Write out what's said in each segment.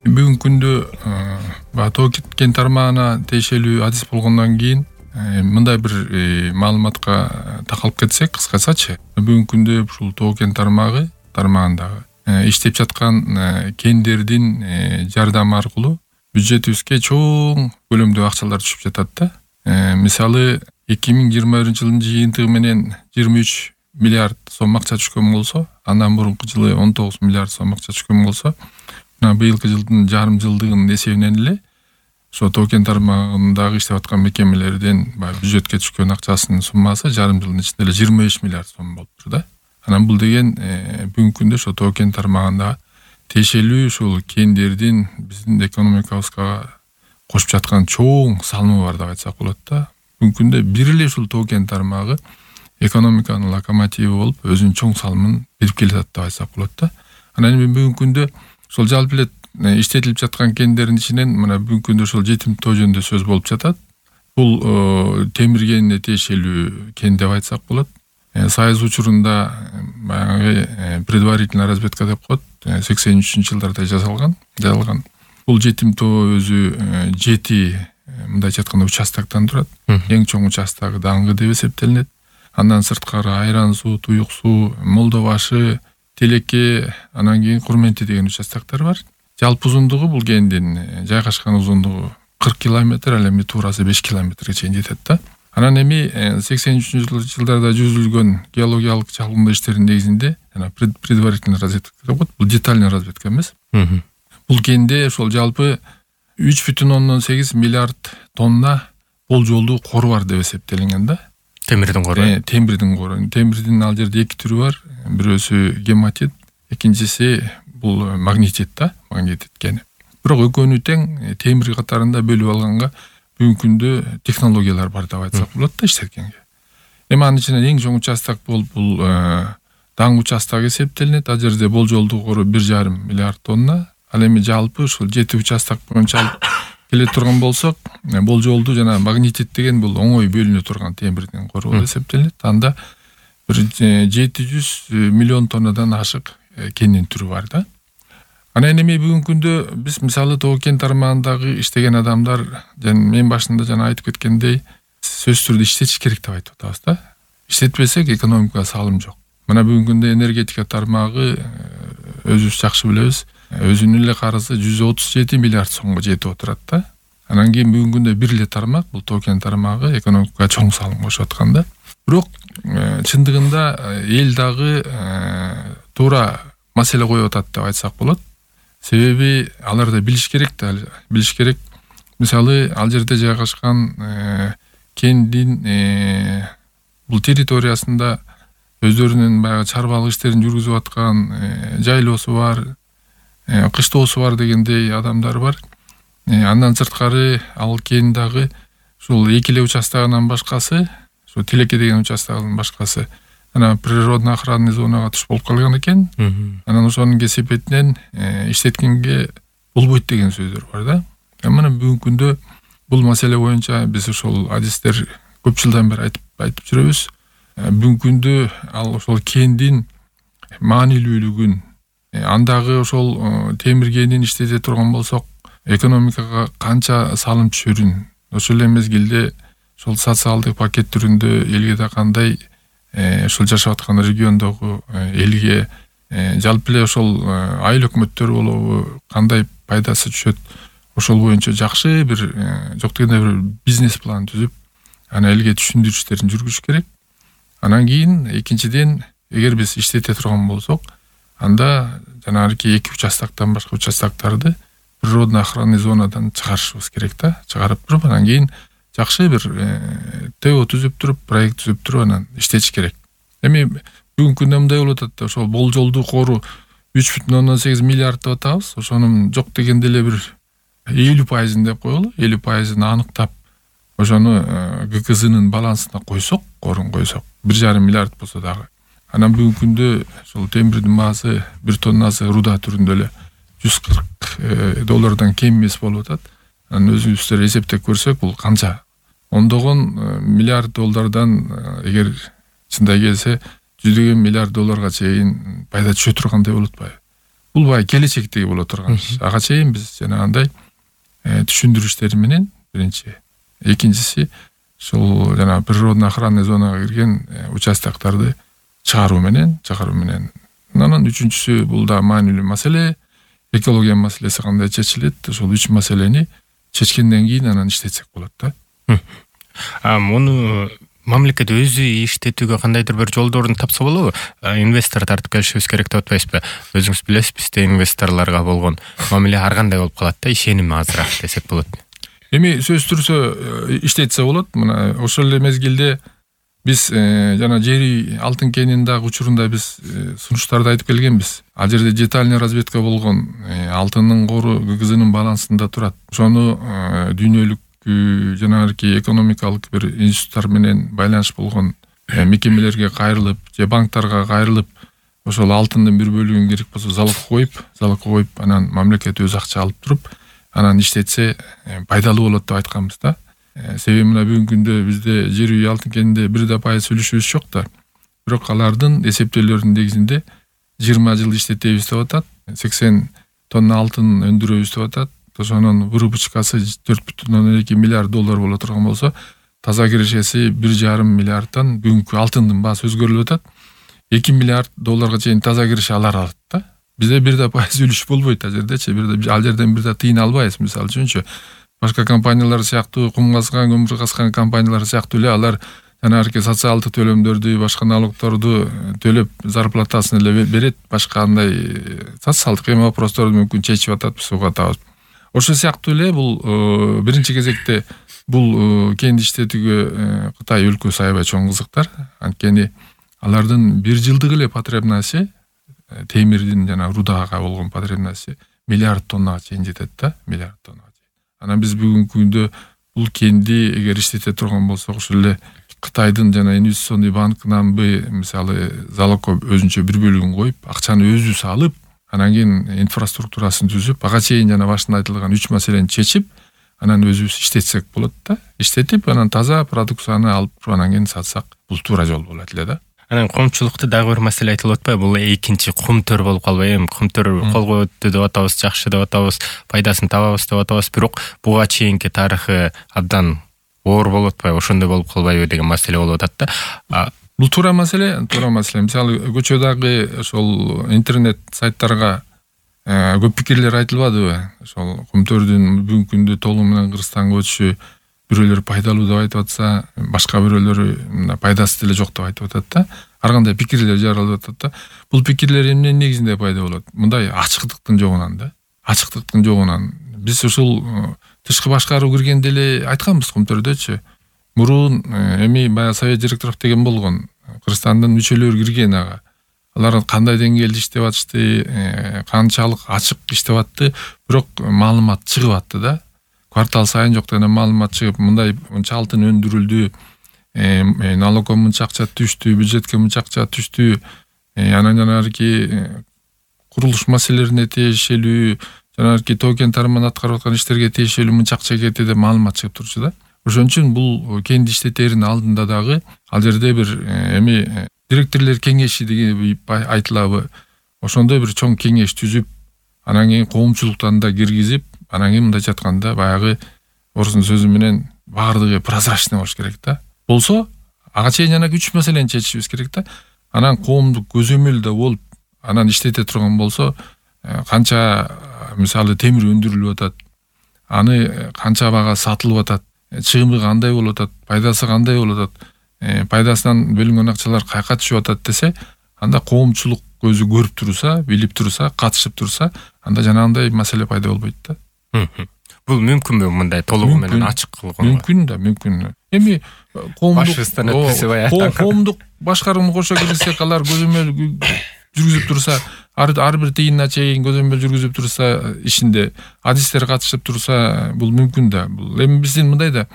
Бүгүнкү күндө тоо кен тармагына тиешелүү адис болгондон кийин мындай бир маалыматка такалып кетсек, кыскачачы, бүгүнкү күндө ушул тоо кен тармагындагы иштеп жаткан кендердин жардамы аркылуу бюджетибизге чоң көлөмдө акчалар түшүп жатат да. Мисалы 2021 жылдын жыйынтыгы менен 23 миллиард сом акча түшкөн болсо, андан мурунку жылы 19 миллиард сом акча түшкөн болсо, быйылкы жылдын жарым жылдыгынын эсебинен эле ошо тоо кен тармагындагы иштеп аткан мекемелерден бюджетке түшкөн акчасынын суммасы жарым жылдын ичинде эле 25 миллиард сом болуптур да. Анан бул деген бүгүнкү күндө ошо тоо кен тармагында тиешелүү ушул кендердин биздин экономикабызга кошуп жаткан чоң салымы бар деп айтсак болот да. Бүгүнкү күндө бир эле ушул тоо кен тармагы экономиканын локомотиви болуп, өзүнүн чоң салымын берип келатат деп айтсак болот да. Анан бүгүнкү күндө ошол жалпы эле иштетилип жаткан кендердин ичинен мына бүгүнкү күндө ошол жетим тоо жөнүндө сөз болуп жатат. Бул темир кенине тиешелүү кен деп айтсак болот. Союз учурунда баягы предварительная разведка деп коет, 83-жылдарда жасалган. Бул жетим тоо өзү 7 мындайча айтканда участоктон турат. Эң чоң участогу Даңгы деп эсептелинет. Андан сырткары Айран суу, Туюк суу, Молдо башы, Телеке, анан кийин Курменти деген участоктор бар. Жалпы узундугу бул кендин жайгашкан узундугу 40 километр, ал эми туурасы 5 километрге чейин жетет да. Анан эми 83-жылдарда жүргүзүлгөн геологиялык чалгындоо иштеринин негизинде жана предварительный разведка деп коет, бул детальный разведка эмес. Бул кенде ошол жалпы 3,8 миллиард тонна болжолдуу кору бар деп эсептелинген да. Темирдин кору. Темирдин кору. Темирдин ал жерде эки түрү бар. Бирөөсү гематит, экинчиси бул магнетит да, магнетит кени. Бирок экөөнү тең темир катарында бөлүп алганга бүгүнкү күндө технологиялар бар деп айтсак болот да иштеткенге. Эми анын ичинен эң чоң участок бул Даңгы участогу эсептелинет. Ал жерде болжолдуу кору 1,5 миллиард тонна. Ал эми жалпы ушул 7 участок боюнча алып келе турган болсок, болжолдуу жана магнетит деген бул оңой бөлүнө турган темирдин кору болуп эсептелинет. Анда бир 700 миллион тоннадан ашык кендин түрү бар да. Анан эми бүгүнкү күндө биз мисалы тоо кен тармагындагы иштеген адамдар мен башында жана айтып кеткендей сөзсүз түрдө иштетиш керек деп айтып атабыз да. Иштетпесек экономикага салым жок. Мына бүгүнкү күндө энергетика тармагы өзүбүз жакшы билебиз, өзүнүн эле карызы 137 миллиард сомго жетип отурат да. Анан кийин бүгүнкү күндө бир эле тармак, бул тоо кен тармагы экономикага чоң салым кошуп аткан да. Бирок чындыгында эл дагы туура маселе коюп атат деп айтсак болот. Себеби алар да билиш керек. Мисалы ал жерде жайгашкан кендин бул территориясында өздөрүнүн баягы чарбалык иштерин жүргүзүп аткан жайлоосу бар, кыштоосу бар дегендей адамдар бар. Андан сырткары ал кен дагы ушул эки эле участогунан башкасы, ушул Телеке деген участогунун башкасы ана природно охранный зонага түшүп болуп калган экен. Анан ошонун кесепетинен иштеткенге болбойт деген сөздөр бар да. Мына бүгүнкү күндө бул маселе боюнча биз ошол адистер көп жылдан бери айтып жүрөбүз. Бүгүнкү күндө ал ошол кендин маанилүүлүгүн, андагы ошол темир кенин иштете турган болсок, экономикага канча салым түшөрүн, ошол эле мезгилде ошол социалдык пакет түрүндө элге да кандай ушул жашап аткан региондогу элге жалпы эле ошол айыл өкмөттөр болобу кандай пайдасы түшөт, ошол боюнча жакшы бир жок дегенде бир бизнес план түзүп, аны элге түшүндүрүштерин жүргүзүш керек. Анан кийин экинчиден, эгер биз иштете турган болсок, анда жанагы эки участоктон башка участоктарды природно охранный зонадан чыгарышыбыз керек да. Чыгарып туруп, анан кийин жакшы бир ТО түзүп туруп, проект түзүп туруп анан иштетиш керек. Эми бүгүнкү күндө мындай болуп атат да, ошол болжолдуу кору 3,8 миллиард деп атабыз. Ошонун жок дегенде эле бир 50% деп коелу, 50% аныктап, ошону ГКЗнын балансына койсок, корун койсок, 1,5 миллиард болсо дагы. Анан бүгүнкү күндө ошол темирдин баасы бир тоннасы руда түрүндө эле $140 кем эмес болуп атат. Анан өзүбүздөр эсептеп көрсөк, бул канча? Ондогон миллиард доллардан эгер чындай келсе, $100 миллиард чейин пайда түшө тургандай болуп атпайбы? бул баягы келечектеги боло турган иш. Ага чейин биз жанагындай түшүндүрүштер менен биринчи, экинчиси ушул жана природный охранный зонага кирген участоктарды чыгаруу менен. Анан үчүнчүсү бул да маанилүү маселе, экология маселеси кандай чечилет, ошол 3 маселени чечкенден кийин анан иштетсек болот да. Муну мамлекет өзү иштетүүгө кандайдыр бир жолдорун тапса болобу? Инвестор тартып келишибиз керек деп атпайсызбы? Өзүңүз билесиз, бизде инвесторлорго болгон мамиле ар кандай болуп калат да, ишеним азыраак десек болот. Эми сөзсүз түрсө иштетсе болот. Мына ошол эле мезгилде биз жана жери алтын кенинин дагы учурунда биз сунуштарды айтып келгенбиз. Ал жерде детальный разведка болгон, алтындын кору ГГЗнын балансында турат. Ошону дүйнөлүк жанагы экономикалык бир институттар менен байланыш болгон мекемелерге кайрылып, же банктарга кайрылып, ошол алтындын бир бөлүгүн керек болсо залогко коюп, анан мамлекет өзү акча алып туруп, анан иштетсе пайдалуу болот деп айтканбыз да. Себеби мына бүгүнкү күндө бизде жер үй алтын кенинде 1% үлүшүбүз жок да. Бирок алардын эсептөөлөрүнүн негизинде 20 жыл иштетебиз деп атат, 80 тонна алтын өндүрөбүз деп атат. Ошонун выручкасы 4,2 миллиард доллар боло турган болсо, таза кирешеси 1,5 миллиардтан бүгүнкү алтындын баасы өзгөрүлүп атат. 2 миллиард долларга чейин таза киреше алат да. Бизде 1% үлүш болбойт ал жердечи. Ал жерден 1% тыйын албайбыз, мисалы үчүнчү. Башка компаниялар сыяктуу, кум казган, көмүр казган компаниялар сыяктуу эле алар жанагы социалдык төлөмдөрдү, башка налогторду төлөп, зарплатасын эле берет, башка андай социалдык вопросторду мүмкүн чечип атат, суга атабыз. Ошол сыяктуу эле бул биринчи кезекте бул кен иштетүүгө Кытай өлкөсү аябай чоң кызыктар. Анткени алардын бир жылдык эле потребности, темирдин жана рудага болгон потребности миллиард тоннага чейин жетет да, миллиард тоннага. Анан биз бүгүнкү күндө бул кенди эгер иштете турган болсок, ошол эле Кытайдын жана инвестиционный банкынан мисалы залогко өзүнчө бир бөлүгүн коюп, акчаны өзү салып, анан кийин инфраструктурасын түзүп, ага чейин жана башында айтылган 3 маселени чечип, анан өзүбүз иштетсек болот да. Иштетип, анан таза продукцияны алып, анан кийин сатсак, бул туура жол болот эле да. Анан коомчулукта дагы бир маселе айтылып атпайбы? Бул экинчи кумтөр болуп калбайбы? Эми кумтөр колго өттү деп атабыз, жакшы деп атабыз, пайдасын табабыз деп атабыз, бирок буга чейинки тарыхы абдан оор болуп атпайбы? Ошондой болуп калбайбы деген маселе болуп атат да. Бул туура маселе. Мисалы көчөдөгү ошол интернет сайттарга көп пикирлер айтылбадыбы? Ошол кумтөрдүн бүгүнкү күндө толугу менен Кыргызстанга өтүшү бирөөлөр пайдалуу деп айтып атса, башка бирөөлөр пайдасы деле жок деп айтып атат да. Ар кандай пикирлер жаралып атат да. Бул пикирлер эмненин негизинде пайда болот? Мындай ачыктыктын жогунан да. Ачыктыктын жогунан. Биз ушул тышкы башкаруу киргенде эле айтканбыз кумтөрдөчү. Мурун эми баягы совет директоров деген болгон, Кыргызстандын мүчөлөрү кирген ага. Алар кандай деңгээлде иштеп атышты, канчалык ачык иштеп атты, бирок маалымат чыгып атты да. Квартал сайын жок дегенде маалымат чыгып, мындай мынча алтын өндүрүлдү, налогко мынча акча түштү, бюджетке мынча акча түштү, анан жанагы курулуш маселелерине тиешелүү, жанагы тоо кен тармагында аткарып аткан иштерге тиешелүү мынча акча кетти деп маалымат чыгып турчу да. Ошон үчүн бул кенди иштетердин алдында дагы ал жерде бир эми директорлор кеңеши деген айтылабы. Ошондой бир чоң кеңеш түзүп, анан кийин коомчулуктан да киргизип, анан кийин мындайча айтканда баягы орустун сөзү менен баардыгы прозрачный болуш керек да. Болсо, ага чейин жана 3 маселени чечишибиз керек да. Анан коомдук көзөмөлдө болуп, анан иштете турган болсо, канча мисалы темир өндүрүлүп атат, аны канча бага сатылып атат, чыгымы кандай болуп атат, пайдасы кандай болуп атат, пайдасынан бөлүнгөн акчалар каяка түшүп атат десе, анда коомчулук өзү көрүп турса, билип турса, катышып турса, анда жанагындай маселе пайда болбойт да. Бул мүмкүнбү мындай толугу менен ачык кылган? Мүмкүн да, мүмкүн. Эми коомдук башкарууну кошо киргизсек, алар көзөмөл жүргүзүп турса, ар бир тыйынына чейин көзөмөл жүргүзүп турса, ишинде адистер катышып турса, бул мүмкүн да. Бул эми биздин мындай да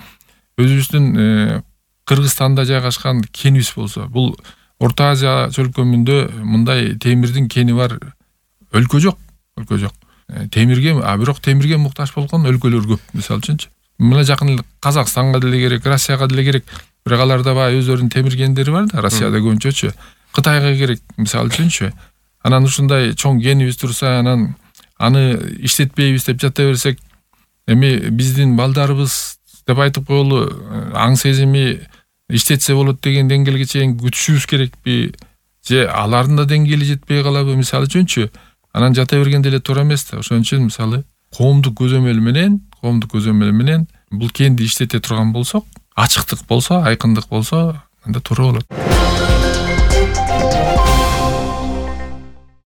өзүбүздүн Кыргызстанда жайгашкан кенибиз болсо, бул Орто Азия чөлкөмүндө мындай темирдин кени бар өлкө жок. Темирге, бирок темирге муктаж болгон өлкөлөр көп, мисалы үчүнчү. Мына жакын Казакстанга деле керек, Россияга деле керек. Бирок аларда баягы өздөрүнүн темир кендери бар да, Россияда көбүнчөчү. Кытайга керек, мисалы үчүнчү. анан ушундай чоң кенибиз турса, анан аны иштетпейбиз деп жата берсек, эми биздин балдарыбыз деп айтып коелу, аң сезими иштетсе болот деген деңгээлге чейин күтүшүбүз керекпи, же алардын да деңгээли жетпей калабы, мисалы үчүнчү. Анан жата бергенде эле туура эмес да. Ошон үчүн мисалы коомдук көзөмөл менен бул кенди иштете турган болсок, ачыктык болсо, айкындык болсо, анда туура болот.